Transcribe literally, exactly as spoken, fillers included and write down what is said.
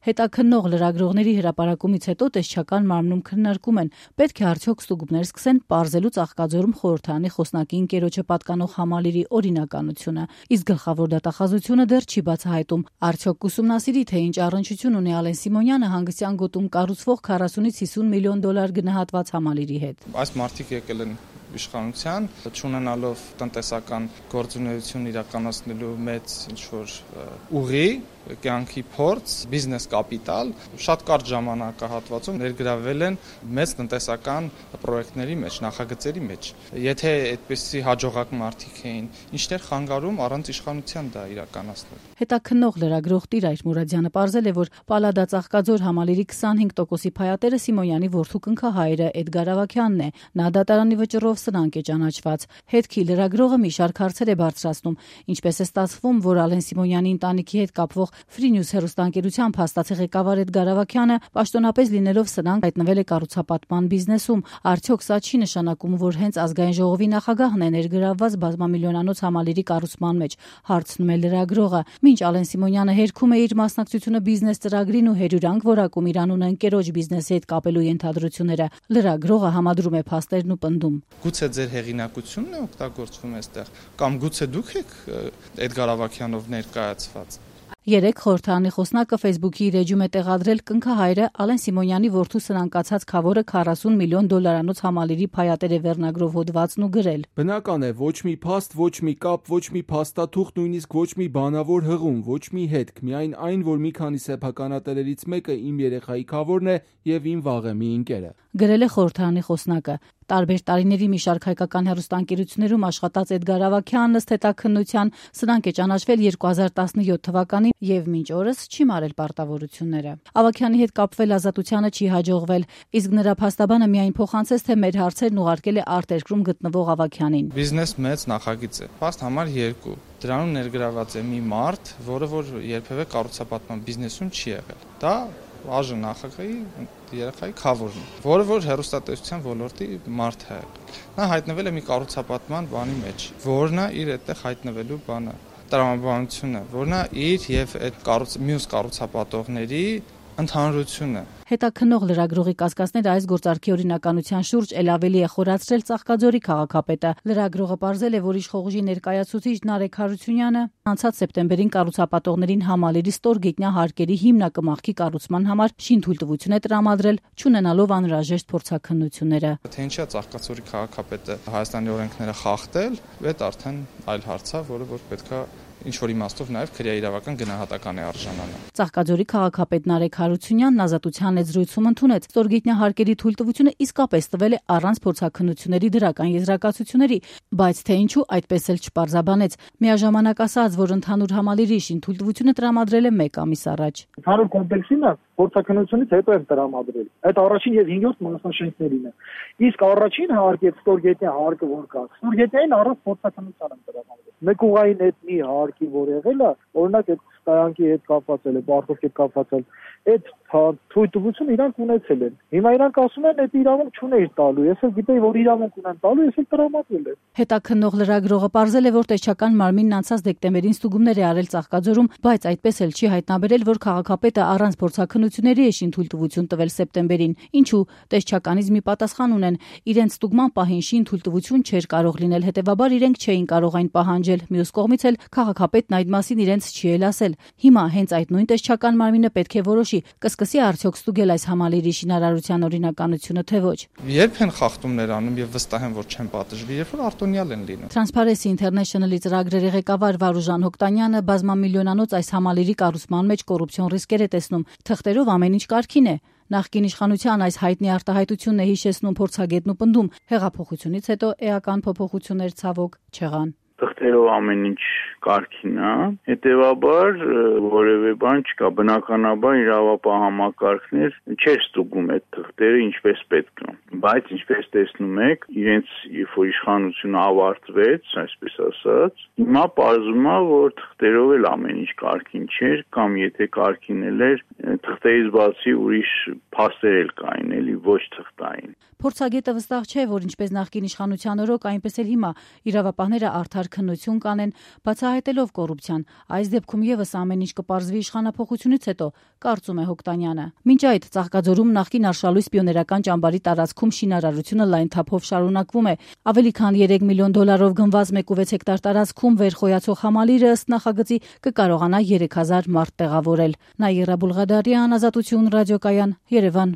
Հետաքննող լրագրողների հրապարակումից հետո տեսչական մարմնում քննարկում են, պետք է արդյոք ստուգումներ սկսեն պարզելու Ծաղկաձորում խորհրդարանի խոսնակի ընկերոջը պատկանող համալիրի օրինականությունը, իսկ գլխավոր դատախազությունը դեռ չի բացահայտում, արդյոք կուսումնասիրի, թե ինչ առնչություն ունի Ալեն Սիմոնյանը հանգստյան գոտում կառուցվող քառասունից հիսուն միլիոն դոլար գնահատված համալիրի հետ։ Այս մարդիկ եկել են իշխանության, չունենալով տնտեսական գործունեություն իրականացնելու մեծ ինչ-որ ուղի, կյանքի փորձ, բիզնես կապիտալ, շատ կարճ ժամանակահատվածում ներգրավել են մեծ տնտեսական պրոյեկտների մեջ, նախագծերի մեջ։ Եթե այդպիսի հաջողակ մարդիկ էին, ինչներ խանգարում առանց իշխանության դա իրականացնել։ Հետաքննող լրագրող Տիրայր Մուրադյանը պարզել է, որ Պալադա Ծաղկաձոր համալիրի քսանհինգ տոկոսի փայատերը Սիմոնյանի որդու կնքահայրը Էդգար Ավագյանն է։ Նա դատարանի վճռով սնանկ է ճանաչված։ Հետքի լրագրողը մի շարք հարցեր է բարձրացնում, ինչպես է ստացվում, որ Ալեն Սիմոնյանի ընտանիքի հետ կապվող Free News հեռուստաընկերության փաստացի ղեկավար Էդգար Ավագյանը պաշտոնապես լինելով սնանկ հայտնվել է կառուցապատման բիզնեսում։ Արդյոք սա չի նշանակում, որ հենց ազգային ժողովի նախագահն է ներգրավված բազմամիլիոնանոց համալիրի կառուցման մեջ, հարցնում է լրագրողը։ Մինչ Ալեն Սիմոնյանը հերքում է իր մասնակցությունը բիզնես ծրագրին ու հերյուրանք որակում իր անունը ընկերոջ բիզնեսի հետ կապելու ենթադրությունները, լրագրողը համադրում է փաստերն ու պնդում։ Գուցե ձեր հեղինակությունն է օգտագործվում այստեղ, կամ գուցե դուք եք Էդգար Ավագյանով ներկայացված։ Երեք խորհրդարանի խոսնակը Facebook-ի իր էջում է տեղադրել կնքահայրը Ալեն Սիմոնյանի որդու սնանկացած քավորը քառասուն միլիոն դոլարանոց համալիրի փայատեր է վերնագրով հոդվածն ու գրել. Բնական է, ոչ մի փաստ, ոչ մի կապ, ոչ մի փաստաթուղթ, նույնիսկ ոչ մի բանավոր հղում, ոչ մի հետք, միայն այն, որ մի քանի սեփականատերերից մեկը իմ երեխայի քավորն է եւ իմ վաղեմի ընկերը։ Գրել է խորհրդարանի խոսնակը։ Տարբեր տարիների մի շարք հայկական հեռուստաընկերություններում աշխատած Էդգար Ավագյանն ըստ հետաքննության սնանկ է ճանաչվել երկու հազար տասնյոթ թվականին եւ մինչ օրս չի մարել պարտավորությունները։ Ավագյանի հետ կապվել ազատությանը չի հաջողվել, իսկ նրա փաստաբանը միայն փոխանցեց, թե մեր հարցերն ուղարկել է արտերկրում գտնվող Ավագյանին։ Բիզնես մեծ նախագիծ է։ Փաստ համար երկու։ Դրանում ներգրաված է մի մարդ, որը որ երբևէ կառուցապատման բիզնեսում չի եղել։ Դա Աժ նախագահի երեխայի քավորն է, որը որ հեռուստատեսության ոլորտի մարդ է։ Նա հայտնվել է մի կառուցապատման բանի մեջ, որն է իր այդտեղ հայտնվելու բանը, տրամաբանությունը, որն է իր եւ այդ կառույց մյուս կառուցապատողների ընդհանրությունը։ Հետաքննող լրագրողի կասկածները այս գործարքի օրինականության շուրջ էլ ավելի է խորացրել Ծաղկաձորի քաղաքապետը։ Լրագրողը պարզել է, որ իշխողուժի ներկայացուցիչ Նարեկ Հարությունյանը անցած սեպտեմբերին կառուցապատողներին համալիրի ստորգետնյա հարկերի հիմնակմախքի կառուցման համար շինթույլտվություն է տրամադրել, չունենալով անհրաժեշտ փորձաքննությունները։ Թե ինչա Ծաղկաձորի քաղաքապետը Հայաստանի օրենքները խախտել, այդ արդեն այլ հարց է, որը որ պետքա ինչ որ իմաստով նաև քրեաիրավական գնահատական է արժանանում։ Ծաղկաձորի քաղաքապետ Նարեկ Հարությունյանն ազատության զրույցում ընդունեց, ստորգետնյա հարկերի թույլտվությունը իսկապես տվել է առանց փորձաքննությունների դրական եզրակացությունների, բայց թե ինչու այդպես էլ չպարզաբանեց։ Միաժամանակ ասաց, որ ընդհանուր համալիրի շինթույլտվությունը տրամադրել է մեկ ամիս առաջ։ Ընդհանուր կոմպլեքսինը փորձաքննությունից հետո է տրամադրել։ Այդ առաջին եւ հինգերորդ մասնաշենքներին է։ Իսկ առաջին հարկի եւ ստորգետնյա հարկը որ կա, ստորգետնյային առանց փորձաքննության են տրամադրել։ Մեկ ուղային այդ մի հարկի որ եղել է, օրինակ այդ ստայանքի հետ կապված է, բարդոքի հետ կապված է, այդ թույլտվությունը իրանք ունեցել են։ Հիմա իրանք ասում են, այդ իրավունք չուներ տալու։ Ես էլ գիտեի, որ իրավունք ունեն տալու, ես էլ տրամադրել եմ։ Հետաքննող լրագրողը պարզել է, որ տեսչական մարմինն անցած դեկտեմբերին ստուգումներ է արել Ծաղկաձորում, բայց այդպես էլ չի հայտնաբերել, որ քաղաքապետը առանց փորձաքննությունների է շինթույլտվություն տվել սեպտեմբերին։ Ինչու տեսչականից մի պատասխան ունեն, իրենց ստուգման պահին շինթույլտվություն չէր կարող լինել, հետևաբար իրենք չէին կարող այն պահանջել։ Մյուս կողմից էլ քաղաքապետն այդ մասին իրենց չի էլ ասել։ Հիմա հենց այդ նույն տեսչական մարմինը պետք է որոշի, կսկսի արդյոք ստուգել այս համալիրի շինարարության օրինականությունը, թե ոչ։ Երբ են խախտումներ անում եւ վստահ եմ, որ չեն պատժվի, երբ որ արտոնյալ են լինում։ Transparency International-ի ծրագրերի ղեկավար Վարուժան Հոկտանյանը բազմամիլիոնանոց այս համալիրի կառուցման մեջ կոռուպցիոն ռիսկեր է տեսնում։ Թղթերով ամեն ինչ կարգին է։ Նախկին իշխանության այս հայտնի արտահայտությունն է հիշեցնում փորձագետն ու պնդում, հեղափոխությունից հետո էական փոփոխություններ ցավոք չեղան։ Թղթերով ամեն ինչ կարգին է, հետևաբար որևէ բան չկա, բնականաբար իրավապահ համակարգներ չէր ստուգում այդ թղթերը ինչպես պետք է։ Բայց ինչպես տեսնում եք, իրենց երբ որ իշխանությունը ավարտվեց, այսպես ասած, հիմա պարզվում է, որ թղթերով էլ ամեն ինչ կարգին չէր, կամ եթե կարգին էր, թղթերից բացի ուրիշ փաստեր էլ կային, էլի ոչ թղթային։ Փորձագետը վստահ չէ, որ ինչպես նախկին իշխանության օրոք, այնպես էլ հիմա իրավապահները արդար քննություն կանեն, բացահայտելով կոռուպցիան։ Այս դեպքում եւս ամեն ինչ կպարզվի իշխանափոխությունից հետո, կարծում է Հոկտանյանը։ Մինչ այդ Ծաղկաձորում նախկին Արշալույս պիոներական ճամբարի տարածքում շինարարությունը լայն թափով շարունակվում է։ Ավելի քան երեք միլիոն դոլարով գնված մեկ ու վեց հեկտար տարածքում վերխոյացող համալիրը ըստ նախագծի կկարողանա երեք հազար մարդ տեղավորել։ Նաիրա Բուլղադարյան, Ազատություն ռադիոկայան, Երևան։